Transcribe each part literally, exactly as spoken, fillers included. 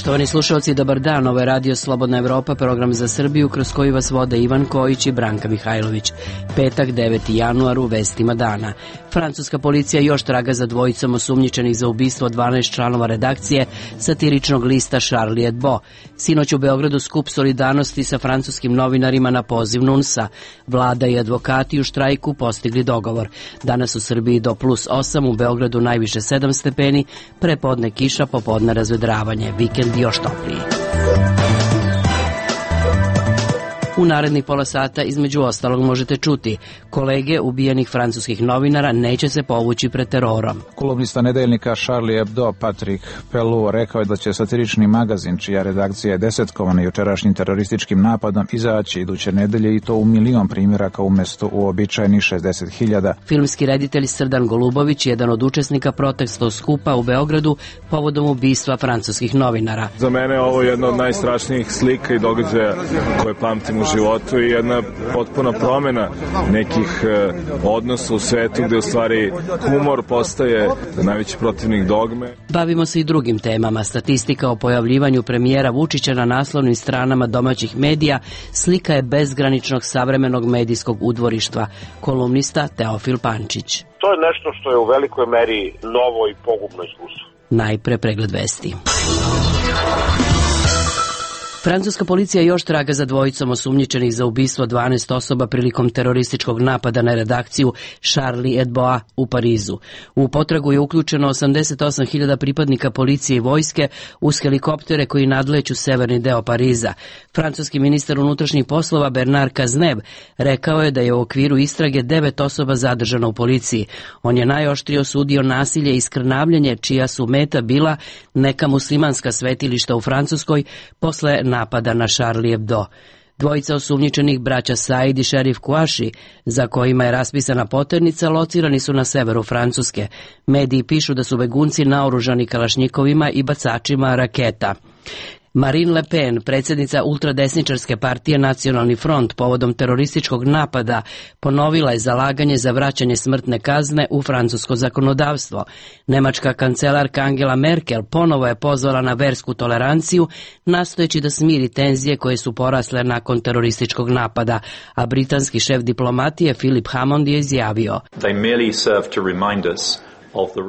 Poštovani slušalci, dobar dan. Ovo je Radio Slobodna Evropa, program za Srbiju kroz koji vas vode Ivan Kojić i Branka Mihajlović. Petak, deveti januar, u vestima dana. Francuska policija još traga za dvojicom osumnjičenih za ubistvo dvanaest članova redakcije satiričnog lista Charlie Hebdo. Sinoć u Beogradu skup solidarnosti sa francuskim novinarima na poziv NUNS-a. Vlada i advokati u štrajku postigli dogovor. Danas u Srbiji do plus osam, u Beogradu najviše sedam stepeni, prepodne kiša, popodne razvedravanje. Vikend još topliji. U narednih pola sata između ostalog možete čuti: kolege ubijenih francuskih novinara neće se povući pred terorom. Kolumnista nedeljnika Charlie Hebdo Patrick Pelou rekao je da će satirični magazin, čija redakcija je desetkovana jučerašnjim terorističkim napadom, izaći iduće nedelje, i to u milion primjeraka umjesto uobičajenih šezdeset hiljada. Filmski reditelj Srdan Golubović, jedan od učesnika protestnog skupa u Beogradu povodom ubistva francuskih novinara. Za mene je ovo jedna od najstrašnijih slika i događaja koje pamtim u životu i jedna potpuna promjena nekih eh, odnosa u svetu gdje u stvari humor postaje najveći protivnik dogme. Bavimo se i drugim temama. Statistika o pojavljivanju premijera Vučića na naslovnim stranama domaćih medija slika je bezgraničnog savremenog medijskog udvorištva. Kolumnista Teofil Pančić. To je nešto što je u velikoj meri novo i pogubno iskustvo. Najpre pregled vesti. Francuska policija još traga za dvojicom osumnjičenih za ubistvo dvanaest osoba prilikom terorističkog napada na redakciju Charlie Hebdo u Parizu. U potragu je uključeno osamdeset osam hiljada pripadnika policije i vojske uz helikoptere koji nadleću severni deo Pariza. Francuski ministar unutrašnjih poslova Bernard Cazeneuve rekao je da je u okviru istrage devet osoba zadržano u policiji. On je najoštrije osudio nasilje i skrnavljenje čija su meta bila neka muslimanska svetilišta u Francuskoj posle napada na Charlie Hebdo. Dvojica osumnjičenih, braća Said i šerif Kouachi, za kojima je raspisana poternica, locirani su na severu Francuske. Mediji pišu da su begunci naoružani kalašnjikovima i bacačima raketa. Marine Le Pen, predsjednica ultradesničarske partije Nacionalni front, povodom terorističkog napada ponovila je zalaganje za vraćanje smrtne kazne u francusko zakonodavstvo. Nemačka kancelarka Angela Merkel ponovo je pozvala na versku toleranciju, nastojeći da smiri tenzije koje su porasle nakon terorističkog napada, a britanski šef diplomatije Philip Hammond je izjavio: They merely serve to remind us.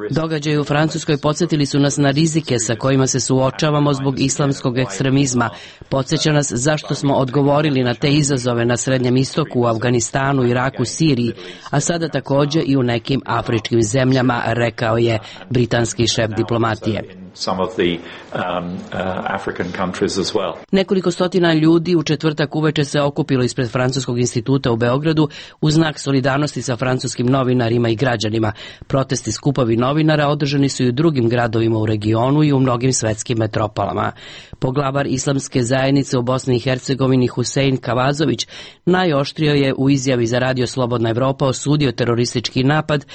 Događaji u Francuskoj podsjetili su nas na rizike sa kojima se suočavamo zbog islamskog ekstremizma. Podsjeća nas zašto smo odgovorili na te izazove na Srednjem istoku, u Afganistanu, Iraku, Siriji, a sada također i u nekim afričkim zemljama, rekao je britanski šef diplomatije. Some of the um, uh, African countries as well. Nekoliko stotina ljudi u četvrtak uveče se okupilo ispred Francuskog instituta u Beogradu u znak solidarnosti sa francuskim novinarima i građanima. Protesti, skupovi novinara održani su i u drugim gradovima u regionu i u mnogim svetskim metropolama. Poglavar islamske zajednice u Bosni i Hercegovini Husein Kavazović najoštrio je u izjavi za Radio Slobodna Evropa osudio teroristički napad,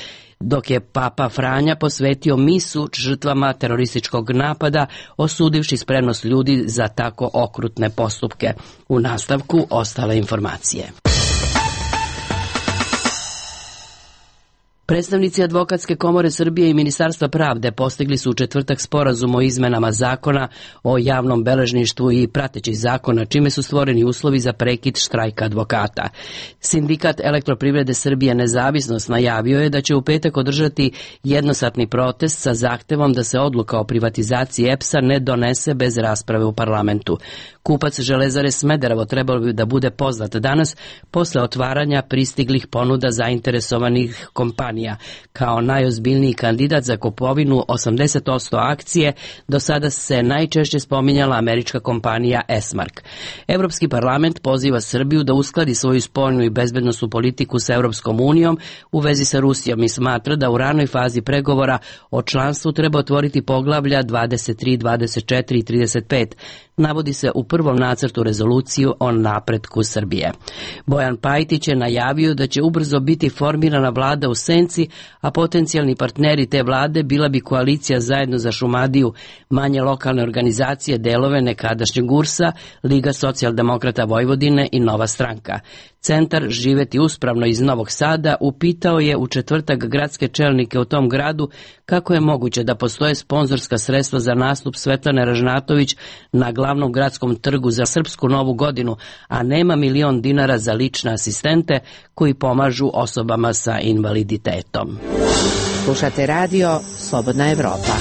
dok je Papa Franja posvetio misu žrtvama terorističkog napada, osudivši spremnost ljudi za tako okrutne postupke. U nastavku ostale informacije. Predstavnici Advokatske komore Srbije i Ministarstva pravde postigli su u četvrtak sporazum o izmenama zakona o javnom beležništvu i pratećih zakona, čime su stvoreni uslovi za prekid štrajka advokata. Sindikat Elektroprivrede Srbije Nezavisnost najavio je da će u petak održati jednosatni protest sa zahtevom da se odluka o privatizaciji E P S-a ne donese bez rasprave u parlamentu. Kupac Železare Smederevo trebalo bi da bude poznat danas posle otvaranja pristiglih ponuda zainteresovanih kompanija. Kao najozbiljniji kandidat za kupovinu osamdeset posto akcije do sada se najčešće spominjala američka kompanija Esmark. Evropski parlament poziva Srbiju da uskladi svoju spoljnu i bezbednosnu politiku sa Europskom unijom u vezi sa Rusijom i smatra da u ranoj fazi pregovora o članstvu treba otvoriti poglavlja dvadeset tri, dvadeset četiri i trideset pet. Navodi se u prvom nacrtu rezoluciju o napretku Srbije. Bojan Pajtić je najavio da će ubrzo biti formirana vlada u senci, a potencijalni partneri te vlade bila bi koalicija Zajedno za Šumadiju, manje lokalne organizacije, delove nekadašnjeg G U R S-a, Liga socijaldemokrata Vojvodine i Nova stranka. Centar Živeti uspravno iz Novog Sada upitao je u četvrtak gradske čelnike u tom gradu kako je moguće da postoje sponzorska sredstva za nastup Svetlane Ražnatović na glavnom gradskom trgu za Srpsku novu godinu, a nema milion dinara za lične asistente koji pomažu osobama sa invaliditetom. Slušate radio Slobodna Evropa.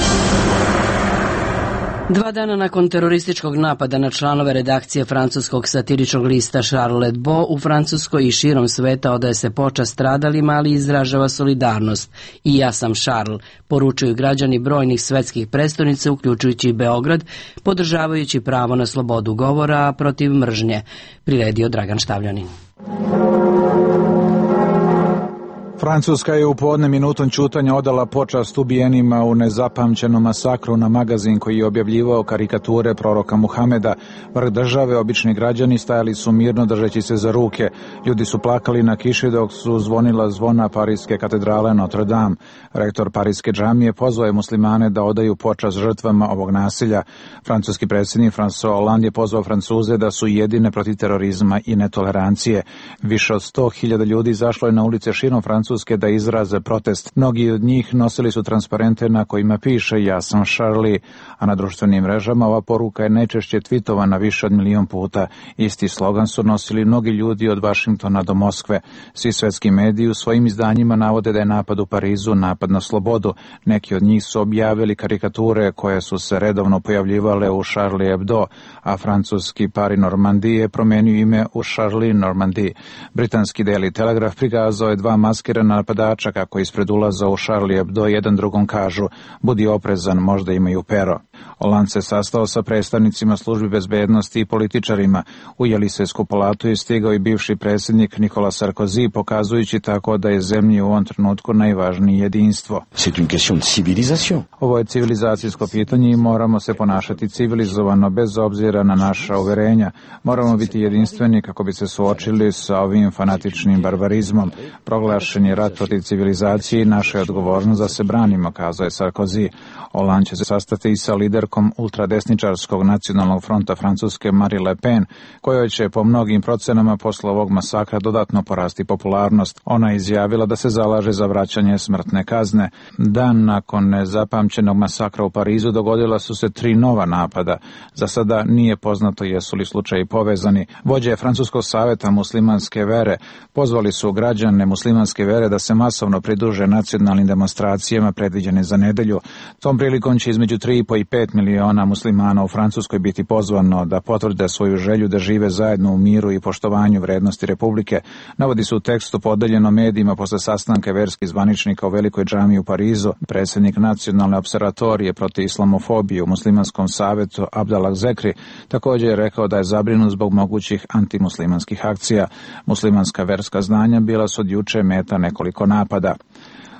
Dva dana nakon terorističkog napada na članove redakcije francuskog satiričnog lista Charlie Hebdo u Francuskoj i širom sveta odaje se počast stradalima, ali izražava solidarnost. I ja sam Charles, poručuju građani brojnih svetskih prestonica, uključujući i Beograd, podržavajući pravo na slobodu govora protiv mržnje. Priredio Dragan Štavljanin. Francuska je u podne minutom ćutanja odala počast ubijenima u nezapamćenom masakru na magazin koji je objavljivao karikature proroka Muhameda. Vrh države, obični građani stajali su mirno držeći se za ruke. Ljudi su plakali na kiši dok su zvonila zvona Pariske katedrale Notre Dame. Rektor Pariske džamije pozvao je muslimane da odaju počast žrtvama ovog nasilja. Francuski predsjednik François Hollande je pozvao Francuze da su jedine protiv terorizma i netolerancije. Više od sto hiljada ljudi izašlo je na ulice širom Francuske da izraze protest. Mnogi od njih nosili su transparente na kojima piše ja sam Charlie, a na društvenim mrežama ova poruka je najčešće tvitovana više od milion puta. Isti slogan su nosili mnogi ljudi od Vašingtona do Moskve. Svi svetski mediji u svojim izdanjima navode da je napad u Parizu napad na slobodu. Neki od njih su objavili karikature koje su se redovno pojavljivale u Charlie Hebdo, a francuski Paris Normandie je promenio ime u Charlie Normandie. Britanski Daily Telegraph prikazao je dva maskirana napadača kako ispred ulaza u Charlie Hebdo jedan drugom kažu budi oprezan, možda imaju pero. Hollande se sastao sa predstavnicima službi bezbednosti i političarima. U Jelisejsku palatu je stigao i bivši predsjednik Nicolas Sarkozy, pokazujući tako da je zemlji u ovom trenutku najvažnije jedinstvo. Ovo je civilizacijsko pitanje i moramo se ponašati civilizovano bez obzira na naša uverenja. Moramo biti jedinstveni kako bi se suočili sa ovim fanatičnim barbarizmom. Proglašen je rat protiv civilizacije i naša je odgovornost da se branimo, kazao je Sarkozy. Hollande će se sastati i sa liderkom ultradesničarskog nacionalnog fronta Francuske Marine Le Pen, kojoj će po mnogim procenama posle ovog masakra dodatno porasti popularnost. Ona je izjavila da se zalaže za vraćanje smrtne kazne. Dan nakon nezapamćenog masakra u Parizu dogodila su se tri nova napada. Za sada nije poznato jesu li slučaji povezani. Vođe Francuskog saveta muslimanske vere pozvali su građane muslimanske vere da se masovno pridruže nacionalnim demonstracijama predviđene za nedelju. Tom prilikom će između tri i po i pet miliona muslimana u Francuskoj biti pozvano da potvrde svoju želju da žive zajedno u miru i poštovanju vrednosti Republike. Navodi se u tekstu podeljeno medijima posle sastanka verskih zvaničnika u Velikoj džamiji u Parizu. Predsjednik nacionalne opservatorije protiv islamofobije u muslimanskom savetu Abdallah Zekri također je rekao da je zabrinut zbog mogućih antimuslimanskih akcija. Muslimanska verska znanja bila su od juče meta nekoliko napada.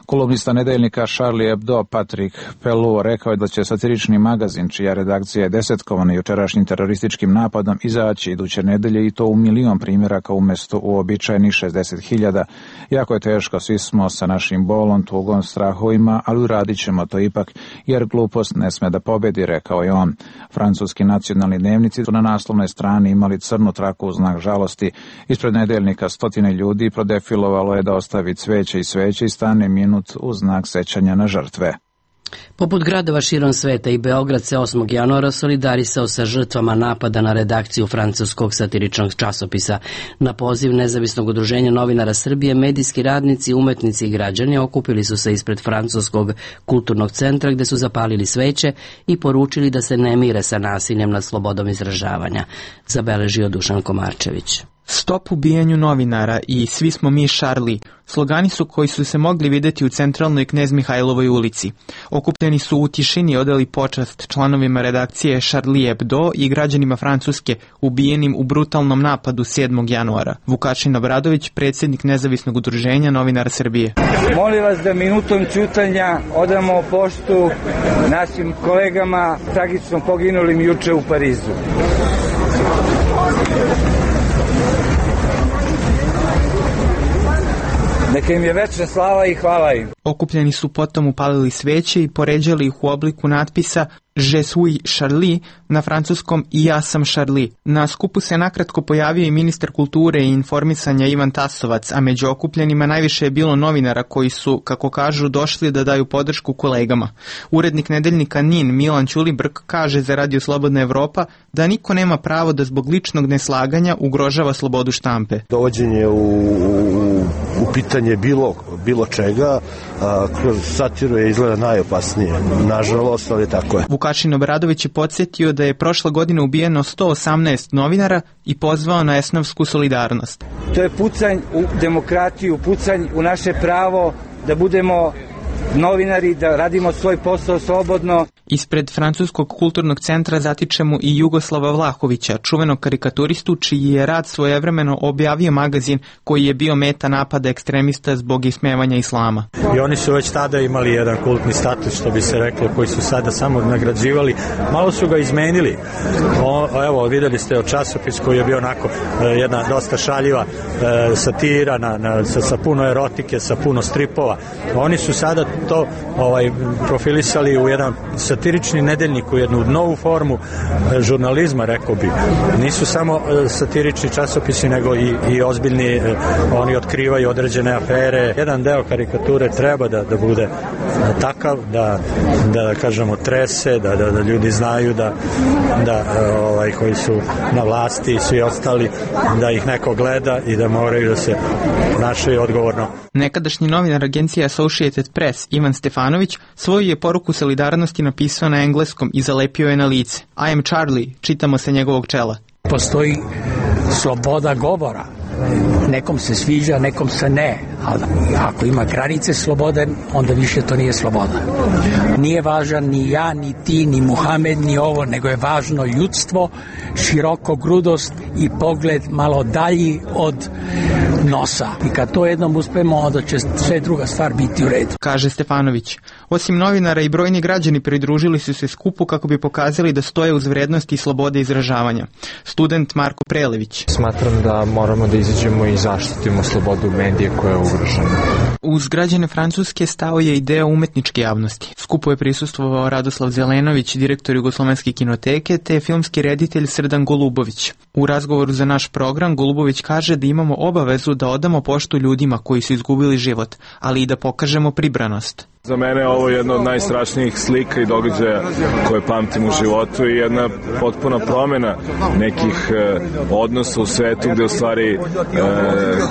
Kolumnista nedeljnika Charlie Hebdo Patrick Pelloux rekao je da će satirični magazin, čija redakcija je desetkovana jučerašnjim terorističkim napadom, izaći iduće nedelje i to u milion primjeraka umjesto uobičajenih šezdeset hiljada. Jako je teško, svi smo sa našim bolom, tugom, strahovima, ali uradit ćemo to ipak, jer glupost ne sme da pobedi, rekao je on. Francuski nacionalni dnevnici su na naslovnoj strani imali crnu traku u znak žalosti. Ispred nedeljnika stotine ljudi prodefilovalo je da ostavi cveće i sveće i stane minut u znak sećanja na žrtve. Poput gradova širom sveta i Beograd se osmog januara solidarisao sa žrtvama napada na redakciju francuskog satiričnog časopisa. Na poziv Nezavisnog udruženja novinara Srbije, medijski radnici, umetnici i građani okupili su se ispred francuskog kulturnog centra gde su zapalili sveće i poručili da se ne mire sa nasiljem nad slobodom izražavanja. Zabeležio Dušan Komarčević. Stop ubijanju novinara i Svi smo mi Charlie. Slogani su koji su se mogli videti u centralnoj Knez Mihajlovoj ulici. Okupljeni su u tišini odali počast članovima redakcije Charlie Hebdo i građanima Francuske ubijenim u brutalnom napadu sedmog januara. Vukašin Obradović, predsjednik Nezavisnog udruženja novinara Srbije. Molim vas da minutom ćutanja odamo poštu našim kolegama tragično poginulim juče u Parizu. Neka im je večna slava i hvala im. Okupljeni su potom upalili sveće i poređali ih u obliku natpisa Je suis Charlie na francuskom i ja sam Charlie. Na skupu se nakratko pojavio i ministar kulture i informisanja Ivan Tasovac, a među okupljenima najviše je bilo novinara koji su, kako kažu, došli da daju podršku kolegama. Urednik nedeljnika Nin Milan Ćulibrk kaže za Radio Slobodna Evropa da niko nema pravo da zbog ličnog neslaganja ugrožava slobodu štampe. Dovođenje u, u, u pitanje bilo, bilo čega a, kroz satiru je izgleda najopasnije. Nažalost, ali tako je. Vukašin Obradović je podsjetio da je prošle godine ubijeno sto osamnaest novinara i pozvao na esnafsku solidarnost. To je pucanj u demokratiju, pucanj u naše pravo da budemo novinari, da radimo svoj posao slobodno. Ispred Francuskog kulturnog centra zatičemo i Jugoslava Vlahovića, čuvenog karikaturistu čiji je rad svojevremeno objavio magazin koji je bio meta napada ekstremista zbog ismevanja islama. I oni su već tada imali jedan kultni status, što bi se reklo, koji su sada samo nagrađivali. Malo su ga izmenili. O, evo, videli ste o časopis koji je bio onako jedna dosta šaljiva e, satira na, na, sa, sa puno erotike, sa puno stripova. Oni su sada to ovaj, profilisali u jedan satirični nedeljnik, u jednu novu formu e, žurnalizma, rekao bi. Nisu samo e, satirični časopisi, nego i, i ozbiljni, e, oni otkrivaju određene afere. Jedan deo karikature treba da, da bude da, takav, da, da, da kažemo trese, da, da, da ljudi znaju da, da e, ovaj, koji su na vlasti i svi ostali, da ih neko gleda i da moraju da se ponašaju odgovorno. Nekadašnji novinar agencije Associated Press Ivan Stefanović svoju je poruku solidarnosti napisao na engleskom i zalepio je na lice. I am Charlie, čitamo sa njegovog čela. Postoji sloboda govora. Nekom se sviđa, nekom se ne. Ali ako ima granice slobode, onda više to nije sloboda. Nije važan ni ja, ni ti, ni Muhamed, ni ovo, nego je važno ljudstvo, širokogrudost i pogled malo dalji od nosa. I kad to jednom uspemo, onda će sve druga stvar biti u redu. Kaže Stefanović. Osim novinara i brojni građani pridružili su se skupu kako bi pokazali da stoje uz vrednosti i slobode izražavanja. Student Marko Prelević. Smatram da moramo da izađemo i zaštitimo slobodu medije koja je ugrožena. Uz građane Francuske stao je i deo umetničke javnosti. Skupu je prisustvovao Radoslav Zelenović, direktor Jugoslovenske kinoteke, te filmski reditelj Srdan Golubović. U razgovoru za naš program Golubović kaže da imamo obavezu da odamo poštu ljudima koji su izgubili život, ali i da pokažemo pribranost. Za mene je ovo jedna od najstrašnijih slika i događaja koje pamtim u životu i jedna potpuna promjena nekih e, odnosa u svetu gde u stvari e,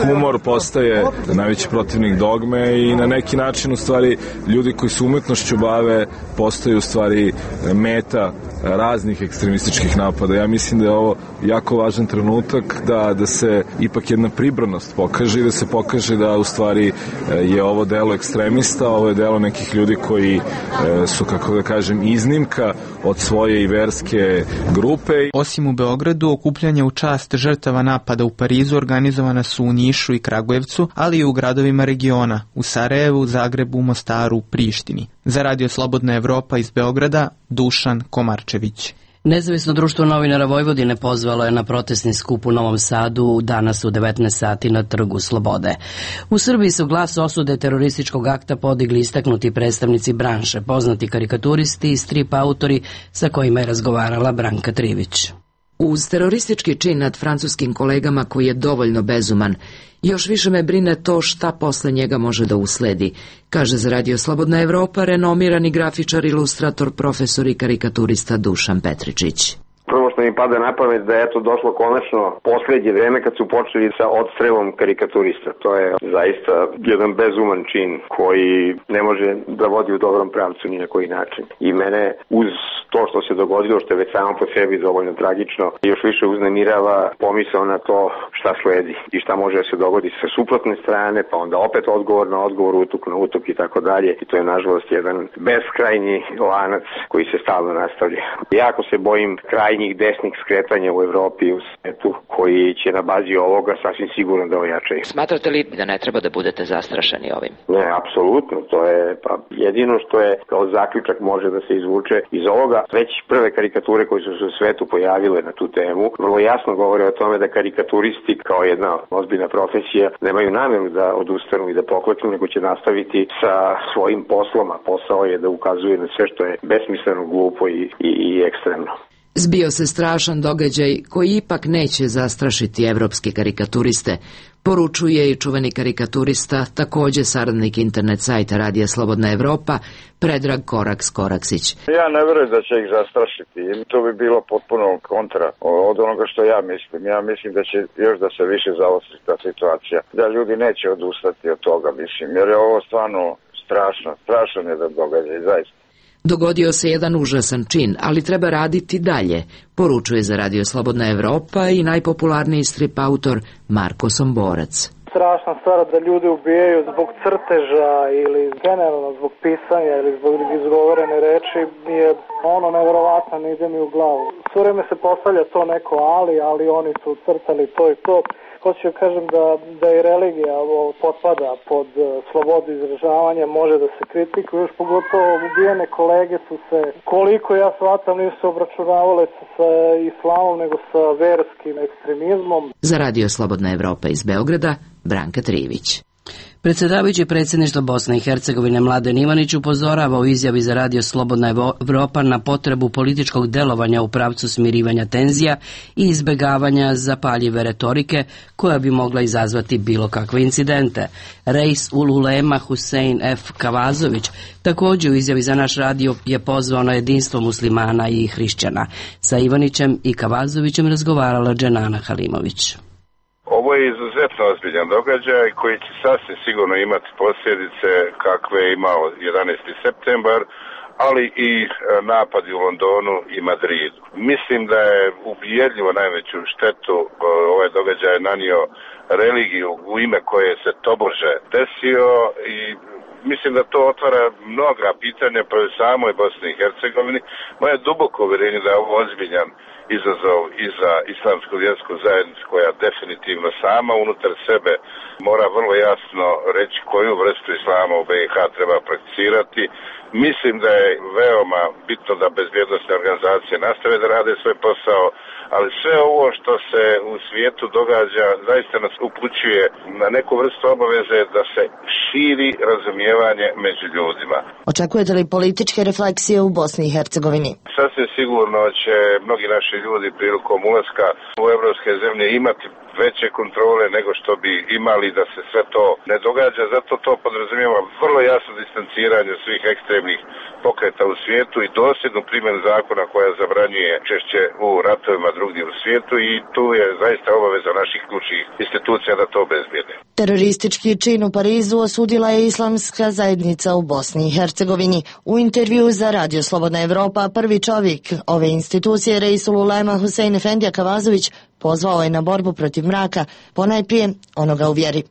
humor postaje najveći protivnik dogme i na neki način u stvari ljudi koji se umetnošću bave postaju u stvari meta raznih ekstremističkih napada. Ja mislim da je ovo jako važan trenutak da, da se ipak jedna pribranost pokaže i da se pokaže da u stvari je ovo delo ekstremista, ovo je delo nekih ljudi koji e, su, kako da kažem, iznimka od svoje i verske grupe. Osim u Beogradu, okupljanja u čast žrtava napada u Parizu organizovana su u Nišu i Kragujevcu, ali i u gradovima regiona, u Sarajevu, Zagrebu, Mostaru, Prištini. Za Radio Slobodna Evropa iz Beograda, Dušan Komarčević. Nezavisno društvo novinara Vojvodine pozvalo je na protestni skup u Novom Sadu danas u devetnaest sati na Trgu Slobode. U Srbiji su glas osude terorističkog akta podigli istaknuti predstavnici branše, poznati karikaturisti i strip autori sa kojima je razgovarala Branka Trivić. Uz teroristički čin nad francuskim kolegama koji je dovoljno bezuman, još više me brine to šta posle njega može da usledi, kaže za Radio Slobodna Evropa renomirani grafičar, ilustrator, profesor i karikaturista Dušan Petričić. Prvo što mi pada na pamet da je eto došlo konačno poslednje vreme kad su počeli sa odstrelom karikaturista. To je zaista jedan bezuman čin koji ne može da vodi u dobrom pravcu ni na koji način. I mene uz to što se dogodilo, što je već samo po sebi dovoljno tragično, još više uznemirava pomisao na to šta sledi i šta može da se dogodi sa suprotne strane, pa onda opet odgovor na odgovor, utuk na utuk i tako dalje. I to je nažalost jedan beskrajni lanac koji se stalno nastavlja. Jako se bojim krajnjih desnih skretanja u Evropi i u svetu koji će na bazi ovoga sasvim sigurno da ojačaju. Smatrate li da ne treba da budete zastrašeni ovim? Ne, apsolutno. To je pa jedino što je kao zaključak može da se izvuče iz ovoga. Već prve karikature koje su se u svetu pojavile na tu temu vrlo jasno govore o tome da karikaturisti koristiti kao jedna ozbiljna profesija, nemaju namjeru da odustanu i da pokleknu, nego će nastaviti sa svojim poslom, a posao je da ukazuje na sve što je besmisleno, glupo i, i, i ekstremno. Zbio se strašan događaj koji ipak neće zastrašiti evropske karikaturiste, poručuje i čuveni karikaturista, takođe saradnik internet sajta Radija Slobodna Evropa, Predrag Koraks-Koraksić. Ja ne verujem da će ih zastrašiti. To bi bilo potpuno kontra od onoga što ja mislim. Ja mislim da će još da se više zaostriti ta situacija. Da ljudi neće odustati od toga, mislim. Jer je ovo stvarno strašno. Strašan je da događaj, zaista. Dogodio se jedan užasan čin, ali treba raditi dalje, poručuje za Radio Slobodna Evropa i najpopularniji strip autor Marko Somborac. Strašna stvar da ljudi ubijaju zbog crteža ili generalno zbog pisanja ili zbog izgovorene reči je ono neverovatno, ne ide mi u glavu. Sve vreme se postavlja to neko ali, ali oni su crtali to i to. Hoću da kažem da, da i religija potpada pod slobodu izražavanja, može da se kritikuje, još pogotovo ubijene kolege su se, koliko ja shvatam, nisu obračunavale sa, sa islamom, nego sa verskim ekstremizmom. Za Radio Slobodna Evropa iz Beograda, Branka Trivić. Predsjedavajući predsjedništva Bosne i Hercegovine Mladen Ivanić upozorava u izjavi za Radio Slobodna Evropa na potrebu političkog delovanja u pravcu smirivanja tenzija i izbjegavanja zapaljive retorike koja bi mogla izazvati bilo kakve incidente. Reis ul Ulema Husein F. Kavazović također u izjavi za naš radio je pozvao na jedinstvo muslimana i hrišćana. Sa Ivanićem i Kavazovićem razgovarala Dženana Halimović. Ovo je izuzetno ozbiljan događaj koji će sasvim sigurno imati posljedice kakve je imao jedanaesti septembar, ali i napadi u Londonu i Madridu. Mislim da je ubjedljivo najveću štetu ovaj događaj nanio religiju u ime koje se tobože desio i mislim da to otvara mnoga pitanja po samoj Bosni i Hercegovini. Moje duboko uvjerenje da je ovo ozbiljan izazov i za islamsku vjersku zajednicu koja definitivno sama unutar sebe mora vrlo jasno reći koju vrstu islama u B i H treba prakticirati. Mislim da je veoma bitno da bezbjednosne organizacije nastave da rade svoj posao, ali sve ovo što se u svijetu događa zaista nas upućuje na neku vrstu obaveze da se širi razumijevanje među ljudima. Očekujete li političke refleksije u Bosni i Hercegovini? Sasvim sigurno će mnogi naši ljudi prilikom ulaska u evropske zemlje imati veće kontrole nego što bi imali da se sve to ne događa. Zato to podrazumijeva vrlo jasno distanciranje svih ekstremnih pokreta u svijetu i dosljednu primjenu zakona koja zabranjuje češće u ratovima drugdje u svijetu i tu je zaista obaveza naših ključnih institucija da to obezbijede. Teroristički čin u Parizu osudila je islamska zajednica u Bosni i Hercegovini. U intervju za Radio Slobodna Evropa prvi čovjek ove institucije Reisul Ulema Husein Efendija Kavazović pozvao je na borbu protiv mraka, ponajprije onoga u vjeri.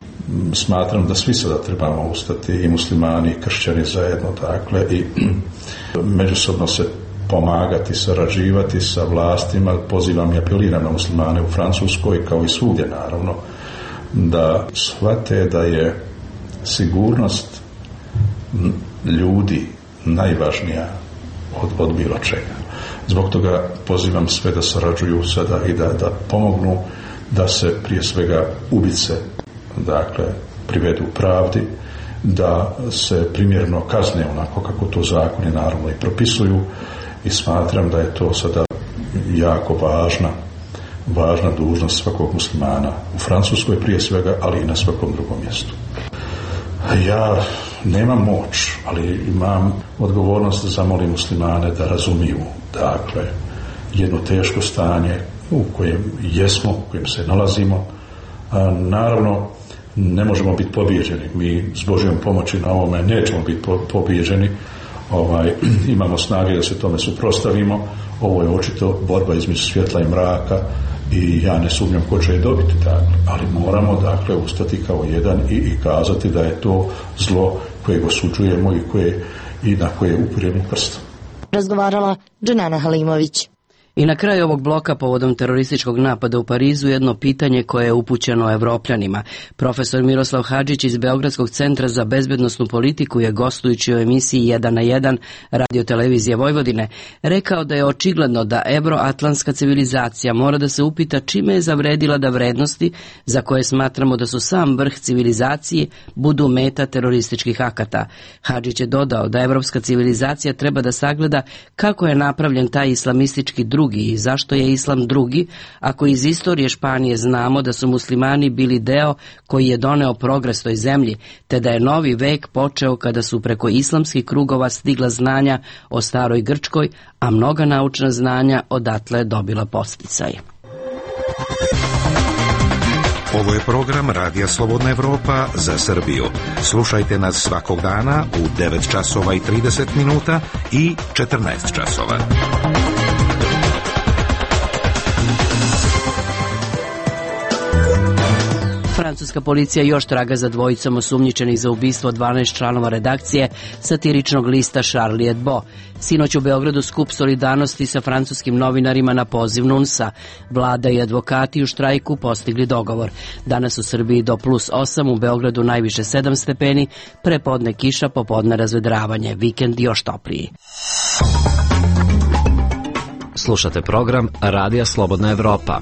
Smatram da svi sada trebamo ustati, i muslimani i kršćani zajedno, dakle, i međusobno se pomagati, sarađivati sa vlastima. Pozivam i apeliram na muslimane u Francuskoj, kao i svugdje naravno, da shvate da je sigurnost ljudi najvažnija od, od bilo čega. Zbog toga pozivam sve da sarađuju sada i da, da pomognu da se prije svega ubice, dakle, privedu pravdi, da se primjerno kazne onako kako to zakoni naravno i propisuju i smatram da je to sada jako važna važna dužnost svakog muslimana u Francuskoj prije svega, ali i na svakom drugom mjestu. Ja nemam moć, ali imam odgovornost da zamolim muslimane da razumiju, dakle, jedno teško stanje u kojem jesmo, u kojem se nalazimo. A, naravno, ne možemo biti pobijeđeni. Mi s Božjom pomoći na ovome nećemo biti pobijeđeni. Ovaj, imamo snage da se tome suprotstavimo. Ovo je očito borba između svjetla i mraka i ja ne sumnjam ko će je dobiti, dakle. Ali moramo, dakle, ustati kao jedan i, i kazati da je to zlo kojeg osuđujemo i, koje, i na koje je upiremo prstom. Razgovarala Dženana Halimović. I na kraju ovog bloka povodom terorističkog napada u Parizu jedno pitanje koje je upućeno Evropljanima. Profesor Miroslav Hadžić iz Beogradskog centra za bezbednosnu politiku je gostujući u emisiji jedan na jedan Radio televizije Vojvodine rekao da je očigledno da evroatlantska civilizacija mora da se upita čime je zavredila da vrednosti za koje smatramo da su sam vrh civilizacije budu meta terorističkih akata. Hadžić je dodao da evropska civilizacija treba da sagleda kako je napravljen taj islamistički drugi i zašto je islam drugi, ako iz istorije Španije znamo da su muslimani bili deo koji je doneo progres toj zemlji, te da je novi vek počeo kada su preko islamskih krugova stigla znanja o staroj Grčkoj, a mnoga naučna znanja odatle dobila podsticaj. Ovo je program Radija Slobodna Evropa za Srbiju. Slušajte nas svakog dana u devet časova i trideset minuta i četrnaest časova. Francuska policija još traga za dvojicom osumnjičenih za ubistvo dvanaest članova redakcije satiričnog lista Charlie Hebdo. Sinoć u Beogradu skup solidarnosti sa francuskim novinarima na poziv Nunsa. Vlada i advokati u štrajku postigli dogovor. Danas u Srbiji do plus osam, u Beogradu najviše sedam stepeni, prepodne kiša, popodne razvedravanje, vikend još topliji. Slušate program Radija Slobodna Evropa.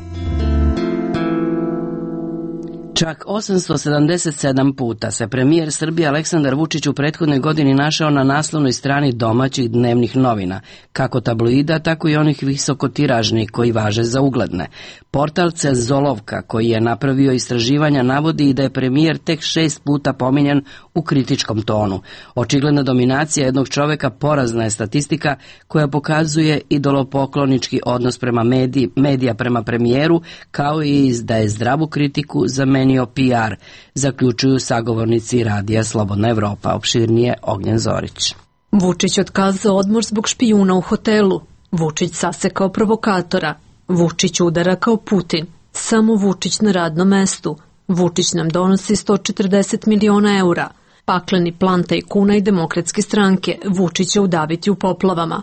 Čak osamsto sedamdeset sedam puta se premijer Srbije Aleksandar Vučić u prethodnoj godini našao na naslovnoj strani domaćih dnevnih novina, kako tabloida, tako i onih visokotiražnih koji važe za ugledne. Portal Cenzolovka, koji je napravio istraživanja, navodi i da je premijer tek šest puta pominjan u kritičkom tonu. Očigledna dominacija jednog čoveka porazna je statistika koja pokazuje idolopoklonički odnos prema mediji, medija prema premijeru, kao i da je zdravu kritiku zamenio P R, zaključuju sagovornici Radija Slobodna Evropa. Opširnije Ognjen Zorić. Vučić otkazao odmor zbog špijuna u hotelu. Vučić sasekao provokatora. Vučić udara kao Putin. Samo Vučić na radnom mestu. Vučić nam donosi sto četrdeset miliona eura. Pakleni plan tajkuna i demokratske stranke. Vučić će udaviti u poplavama.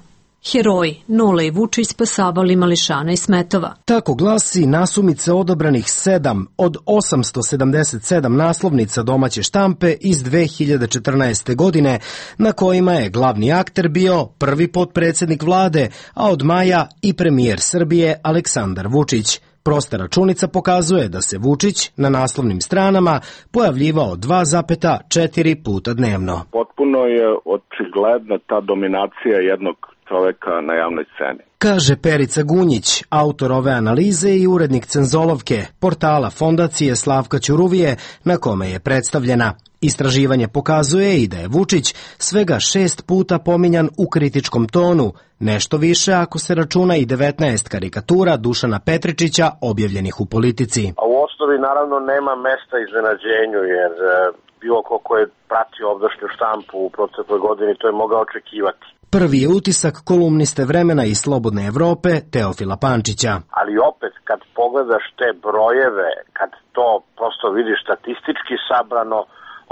Heroji, Nole i Vučić spasavali mališana i smetova. Tako glasi nasumice odabranih sedam od osamsto sedamdeset sedam naslovnica domaće štampe iz dve hiljade četrnaeste. godine, na kojima je glavni akter bio prvi potpredsjednik vlade, a od maja i premijer Srbije Aleksandar Vučić. Prosta računica pokazuje da se Vučić na naslovnim stranama pojavljivao dva zarez četiri puta dnevno. Potpuno je očigledna ta dominacija jednog čoveka na javnoj sceni, kaže Perica Gunjić, autor ove analize i urednik Cenzolovke, portala Fondacije Slavka Ćuruvije, na kome je predstavljena. Istraživanje pokazuje i da je Vučić svega šest puta pominjan u kritičkom tonu, nešto više ako se računa i devetnaest karikatura Dušana Petričića objavljenih u Politici. A u osnovi naravno nema mesta iznenađenju, jer bilo ko ko je pratio ovdašnju štampu u protekloj godini to je mogao očekivati. Prvi je utisak kolumniste Vremena i Slobodne Evrope Teofila Pančića. Ali opet, kad pogledaš te brojeve, kad to prosto vidiš statistički sabrano,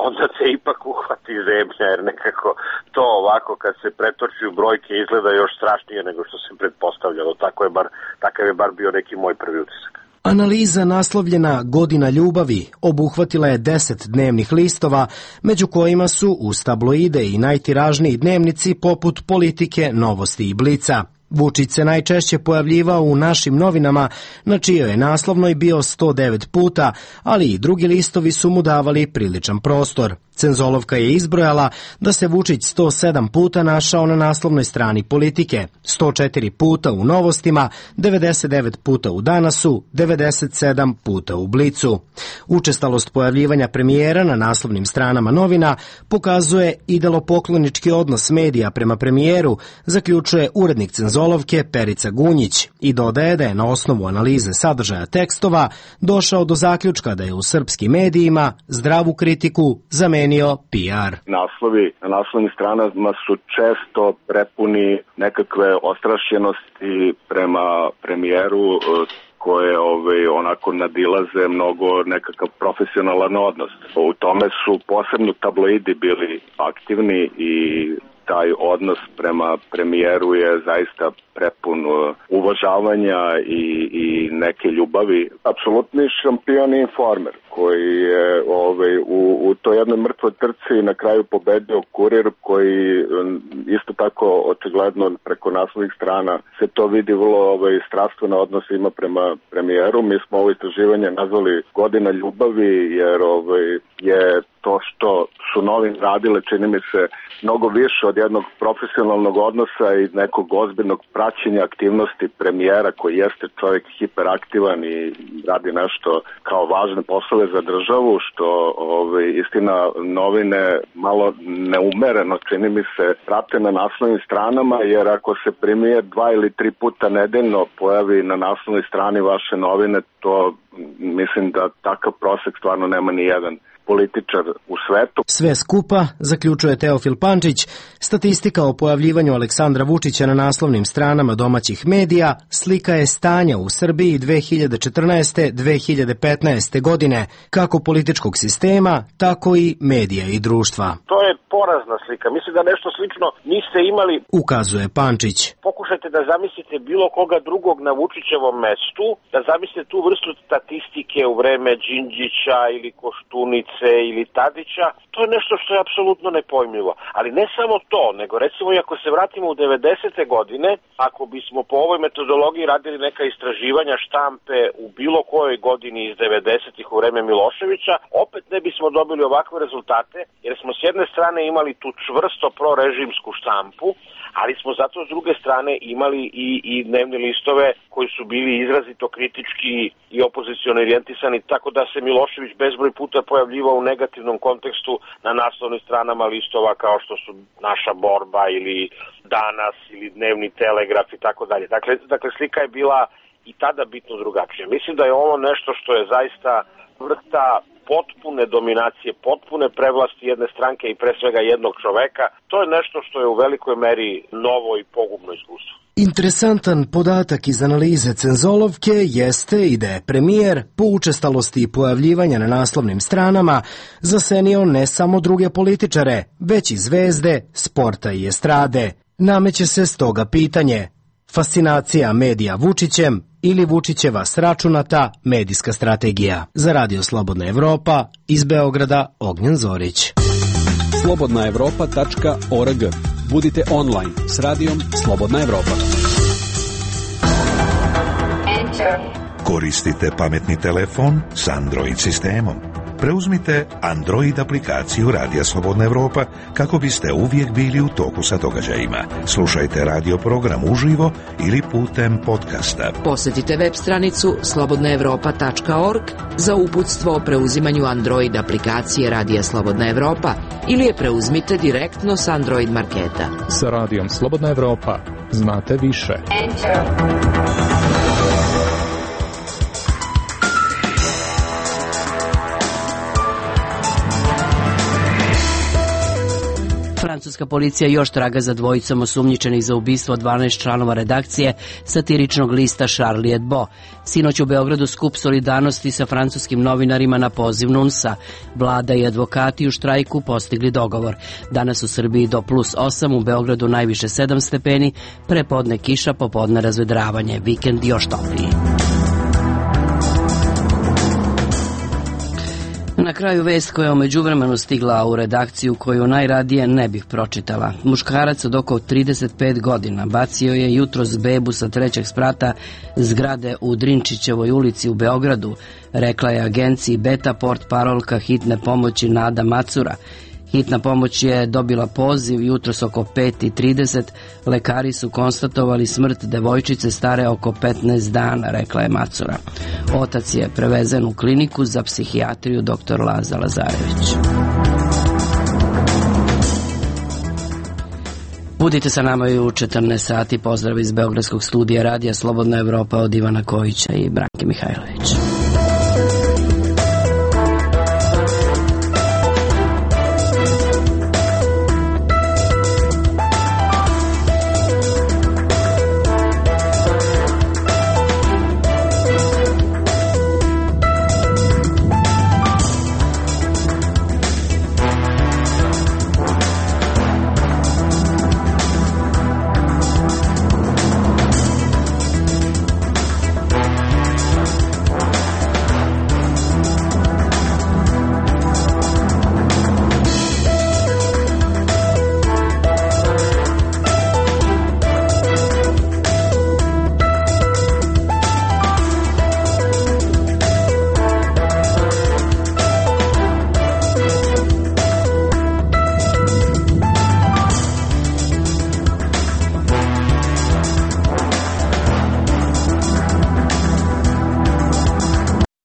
onda te ipak uhvati zemlja, jer nekako to ovako kad se pretoči u brojke izgleda još strašnije nego što se pretpostavljalo. Tako je bar, takav je bar bio neki moj prvi utisak. Analiza naslovljena Godina ljubavi obuhvatila je deset dnevnih listova, među kojima su uz tabloide i najtiražniji dnevnici poput Politike, Novosti i Blica. Vučić se najčešće pojavljivao u Našim novinama, na čijoj je naslovnoj bio sto devet puta, ali i drugi listovi su mu davali priličan prostor. Cenzolovka je izbrojala da se Vučić sto sedam puta našao na naslovnoj strani Politike, sto četiri puta u Novostima, devedeset devet puta u Danasu, devedeset sedam puta u Blicu. Učestalost pojavljivanja premijera na naslovnim stranama novina pokazuje idolopoklonički odnos medija prema premijeru, zaključuje urednik Cenzolovke Perica Gunjić i dodaje da je na osnovu analize sadržaja tekstova došao do zaključka da je u srpskim medijima zdravu kritiku zamenio P R. Naslovi na naslovnim stranama su često prepuni nekakve ostrašćenosti prema premijeru koje ovaj, onako nadilaze mnogo nekakav profesionalan odnos. U tome su posebno tabloidi bili aktivni i taj odnos prema premijeru je zaista prepun uvažavanja i, i neke ljubavi. Apsolutni šampion i informer koji je ovaj, u, u toj jednoj mrtvoj trci na kraju pobedio Kurir, koji isto tako očigledno preko naslovnih strana se to vidi vrlo ovaj, strastveno odnos ima prema premijeru. Mi smo ovo istraživanje nazvali Godina ljubavi, jer ovaj, je to što su novine radile, čini mi se, mnogo više od jednog profesionalnog odnosa i nekog ozbiljnog praćenja aktivnosti premijera, koji jeste čovjek hiperaktivan i radi nešto kao važne poslove za državu, što ovaj, istina novine malo neumereno, čini mi se, prate na naslovnim stranama, jer ako se premijer dva ili tri puta nedeljno pojavi na naslovnoj strani vaše novine, to mislim da takav prosek stvarno nema ni jedan političar u svetu. Sve skupa, zaključuje Teofil Pančić, statistika o pojavljivanju Aleksandra Vučića na naslovnim stranama domaćih medija slika je stanja u Srbiji dve hiljade četrnaeste do dve hiljade petnaeste. godine, kako političkog sistema, tako i medija i društva. To je porazna slika. Mislim da nešto slično niste imali, ukazuje Pančić. Pokušajte da zamislite bilo koga drugog na Vučićevom mestu, da zamislite tu vrstu statistike u vreme Đinđića ili Koštunice ili Tadića. To je nešto što je apsolutno nepojmljivo. Ali ne samo to, nego recimo i ako se vratimo u devedesete. godine, ako bismo po ovoj metodologiji radili neka istraživanja štampe u bilo kojoj godini iz devedesetih u vreme Miloševića, opet ne bismo dobili ovakve rezultate, jer smo s jedne strane imali tu čvrsto prorežimsku štampu, ali smo zato s druge strane imali i, i dnevne listove koji su bili izrazito kritički i opoziciono orijentisani, tako da se Milošević bezbroj puta pojavljivao u negativnom kontekstu na naslovnim stranama listova kao što su Naša borba ili Danas ili Dnevni telegraf i tako dalje. Dakle, dakle slika je bila i tada bitno drugačija. Mislim da je ovo nešto što je zaista vrsta potpune dominacije, potpune prevlasti jedne stranke i pre svega jednog čoveka. To je nešto što je u velikoj meri novo i pogubno iskustvo. Interesantan podatak iz analize Cenzolovke jeste i da je premijer po učestalosti i pojavljivanja na naslovnim stranama zasenio ne samo druge političare, već i zvezde, sporta i estrade. Nameće se stoga pitanje: fascinacija medija Vučićem ili Vučićeva sračunata medijska strategija? Za Radio Slobodna Evropa, iz Beograda, Ognjen Zorić. slobodna evropa tačka org. Budite online s radijom Slobodna Evropa. Koristite pametni telefon s Android sistemom. Preuzmite Android aplikaciju Radija Slobodna Evropa kako biste uvijek bili u toku sa događajima. Slušajte radio program uživo ili putem podcasta. Posjetite web stranicu slobodna evropa tačka org za uputstvo o preuzimanju Android aplikacije Radija Slobodna Evropa ili je preuzmite direktno s Android marketa. Sa Radijom Slobodna Evropa znate više. Francuska policija još traga za dvojicom osumnjičenih za ubistvo dvanaest članova redakcije satiričnog lista Charlie Hebdo. Sinoć u Beogradu skup solidarnosti sa francuskim novinarima na poziv N U N S-a. Vlada i advokati u štrajku postigli dogovor. Danas u Srbiji do plus osam, u Beogradu najviše sedam stepeni, prepodne kiša, popodne razvedravanje, vikend još topliji. Na kraju vest koja je u međuvremenu stigla u redakciju koju najradije ne bih pročitala. Muškarac od oko trideset pet godina bacio je jutros bebu sa trećeg sprata zgrade u Drinčićevoj ulici u Beogradu, rekla je agenciji Beta portparolka hitne pomoći Nada Macura. Hitna pomoć je dobila poziv jutros oko pet i trideset. Lekari su konstatovali smrt devojčice stare oko petnaest dana, rekla je Macura. Otac je prevezen u kliniku za psihijatriju doktor Laza Lazarević. Budite sa nama i u četrnaest sati. Pozdrav iz Beogradskog studija Radija Slobodna Evropa od Ivana Kojića i Branke Mihajlović.